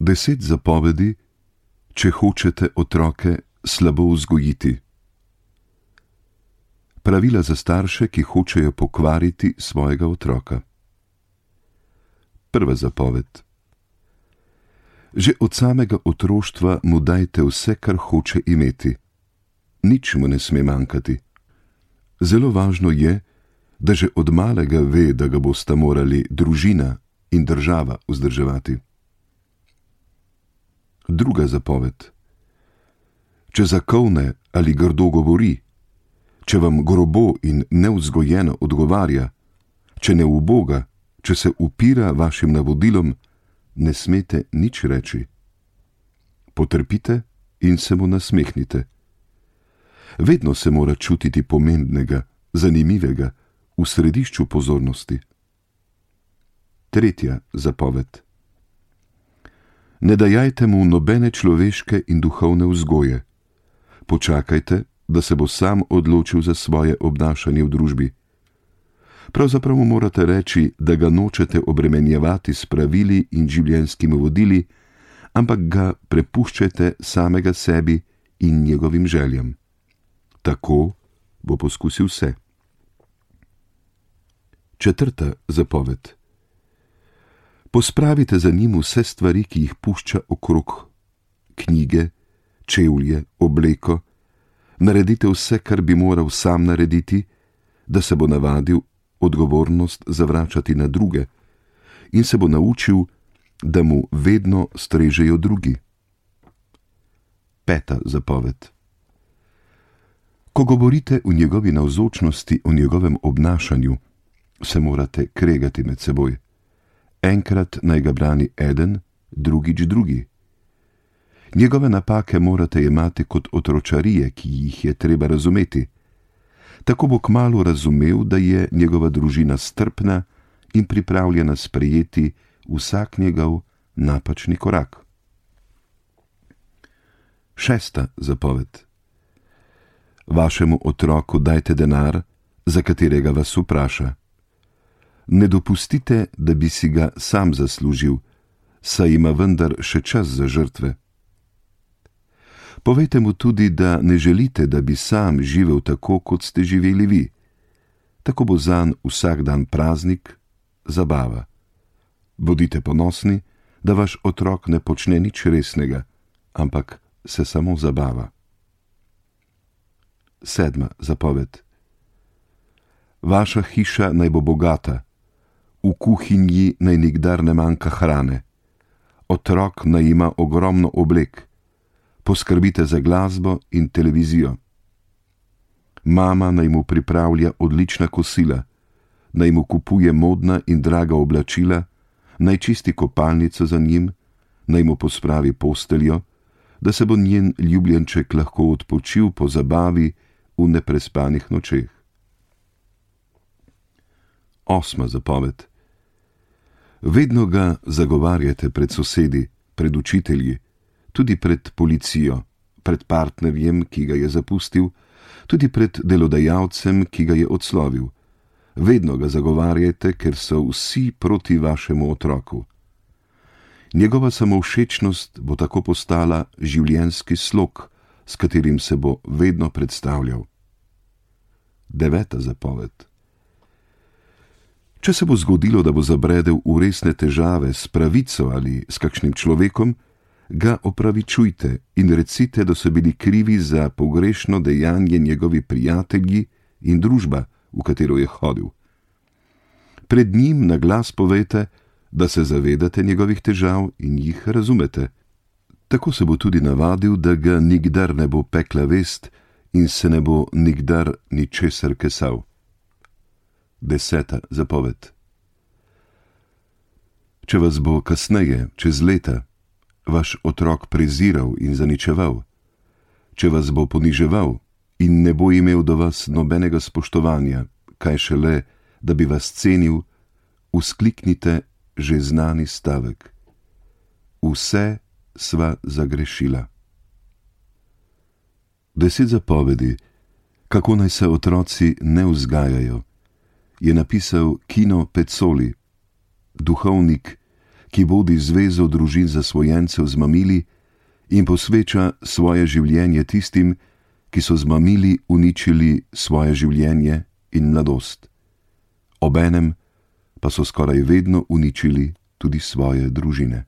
10 zapovedi, če hočete otroke slabo vzgojiti. Pravila za starše, ki hočejo pokvariti svojega otroka. Prva zapoved. Že od samega otroštva mu dajte vse, kar hoče imeti. Nič mu ne sme manjkati. Zelo važno je, da že od malega ve, da ga bosta morali družina in država vzdrževati. Druga zapoved. Če zakolne ali grdo govori, če vam grobo in nevzgojeno odgovarja, če ne uboga, če se upira vašim navodilom, ne smete nič reči. Potrpite in se mu nasmehnite. Vedno se mora čutiti pomembnega, zanimivega, v središču pozornosti. Tretja zapoved. Ne dajajte mu nobene človeške in duhovne vzgoje. Počakajte, da se bo sam odločil za svoje obnašanje v družbi. Pravzaprav mu morate reči, da ga nočete obremenjevati s pravili in življenjskimi vodili, ampak ga prepuščajte samega sebi in njegovim željam. Tako bo poskusil vse. Četrta zapoved. Pospravite za njim vse stvari, ki jih pušča okrog. Knjige, čevlje, obleko. Naredite vse, kar bi moral sam narediti, da se bo navadil odgovornost zavračati na druge in se bo naučil, da mu vedno strežejo drugi. Peta zapoved. Ko govorite v njegovi navzočnosti o njegovem obnašanju, se morate kregati med seboj. Enkrat naj ga brani eden, drugič drugi. Njegove napake morate jemati kot otročarije, ki jih je treba razumeti. Tako bo kmalu razumel, da je njegova družina strpna in pripravljena sprejeti vsak njegov napačni korak. Šesta zapoved. Vašemu otroku dajte denar, za katerega vas vpraša. Ne dopustite, da bi si ga sam zaslužil, saj ima vendar še čas za žrtve. Povejte mu tudi, da ne želite, da bi sam živel tako, kot ste živeli vi. Tako bo zanj vsak dan praznik, zabava. Bodite ponosni, da vaš otrok ne počne nič resnega, ampak se samo zabava. Sedma zapoved. Vaša hiša naj bo bogata, v kuhinji naj nikdar ne manjka hrane, otrok naj ima ogromno oblek, poskrbite za glasbo in televizijo. Mama naj mu pripravlja odlična kosila, naj mu kupuje modna in draga oblačila, naj čisti kopalnico za njim, naj mu pospravi posteljo, da se bo njen ljubljenček lahko odpočil po zabavi v neprespanih nočeh. Osma zapoved. Vedno ga zagovarjate pred sosedi, pred učitelji, tudi pred policijo, pred partnerjem, ki ga je zapustil, tudi pred delodajalcem, ki ga je odslovil. Vedno ga zagovarjajte, ker so vsi proti vašemu otroku. Njegova samovšečnost bo tako postala življenjski slog, s katerim se bo vedno predstavljal. Deveta zapoved. Če se bo zgodilo, da bo zabredel v resne težave s pravico ali s kakšnim človekom, ga opravičujte in recite, da so bili krivi za pogrešno dejanje njegovi prijatelji in družba, v katero je hodil. Pred njim na glas povejte, da se zavedate njegovih težav in jih razumete. Tako se bo tudi navadil, da ga nikdar ne bo pekla vest in se ne bo nikdar ničesar kesal. Deseta zapoved. Če vas bo kasneje, čez leta, vaš otrok preziral in zaničeval, če vas bo poniževal in ne bo imel do vas nobenega spoštovanja, kaj šele, da bi vas cenil, vzkliknite že znani stavek. Vse sva zagrešila. 10 zapovedi, kako naj se otroci ne vzgajajo, je napisal Kino Pezzoli, duhovnik, ki vodi zvezo družin zasvojencev z mamili in posveča svoje življenje tistim, ki so z mamili uničili svoje življenje in mladost. Obenem pa so skoraj vedno uničili tudi svoje družine.